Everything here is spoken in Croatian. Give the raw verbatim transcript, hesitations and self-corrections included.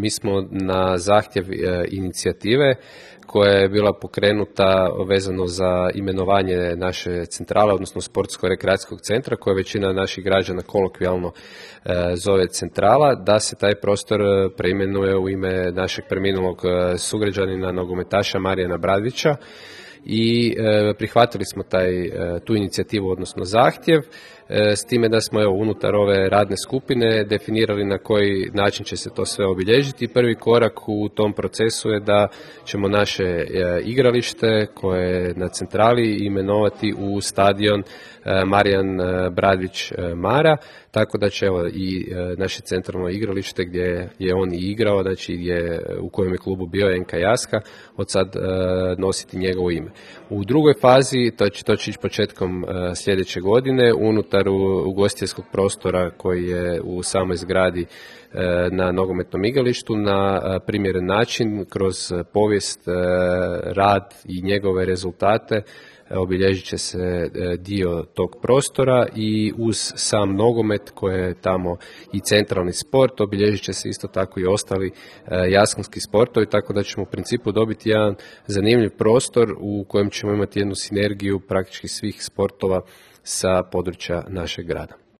mi smo na zahtjev inicijative koja je bila pokrenuta vezano za imenovanje naše centrale, odnosno sportsko-rekreacijskog centra, koje većina naših građana kolokvijalno zove centrala, da se taj prostor preimenuje u ime našeg preminulog sugrađanina, nogometaša Marijana Bradvića. I e, prihvatili smo taj, e, tu inicijativu, odnosno zahtjev, e, s time da smo evo, unutar ove radne skupine definirali na koji način će se to sve obilježiti. Prvi korak u tom procesu je da ćemo naše e, igralište koje je na centrali imenovati u stadion e, Marijan e, Bradvić e, Mara, tako da će evo, i e, naše centralno igralište gdje je on i igrao, znači gdje, u kojem je klubu bio N K Jaska, od sad e, nositi njegovo ime. U drugoj fazi, to će, to će ići početkom e, sljedeće godine, unutar ugostiteljskog prostora koji je u samoj zgradi e, na nogometnom igralištu, na e, primjeren način, kroz povijest, e, rad i njegove rezultate, obilježit će se dio tog prostora i uz sam nogomet koji je tamo i centralni sport, obilježit će se isto tako i ostali jaskonski sportovi, tako da ćemo u principu dobiti jedan zanimljiv prostor u kojem ćemo imati jednu sinergiju praktički svih sportova sa područja našeg grada.